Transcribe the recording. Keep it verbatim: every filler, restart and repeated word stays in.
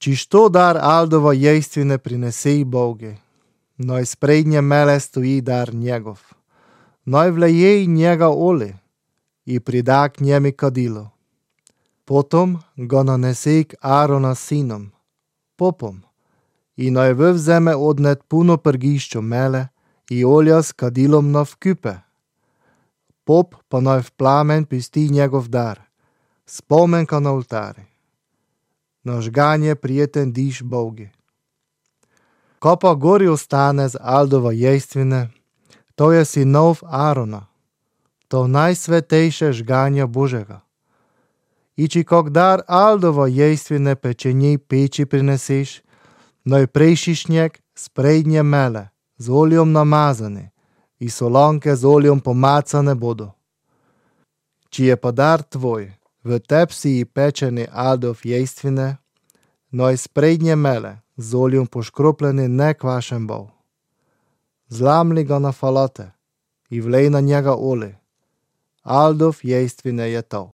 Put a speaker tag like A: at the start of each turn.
A: Či što dar Aldovo jejstvine prinese Bogu, noj sprednje mele stoji dar njegov, noj vleje njega oli i prida k njemi kadilo. Potom go nanese k Arona sinom, popom, i noj vyvzeme odnet puno prgišćo mele i olja s kadilom na vkype. Pop pa noj v plamen pusti njegov dar, spomenka na oltari. Na žganje prijeten diš Bogu. Ko pa gori ostane z Aldova jejstvine, to je sinov Arona, to najsvetejše žganja Božega. I či kog dar Aldovo jejstvine pečenji peči prineseš, noj prešišnjek sprednje mele, z oljom namazane, i solanke z oljom pomacane bodo. Či je pa dar tvoj, v tepsi i pečeni Aldov jejstvine, noj sprednje mele, z oljom poškropljeni ne kvašen bo. Zlamli ga na falate i vlej na njega oli. Aldov jejstvine je to.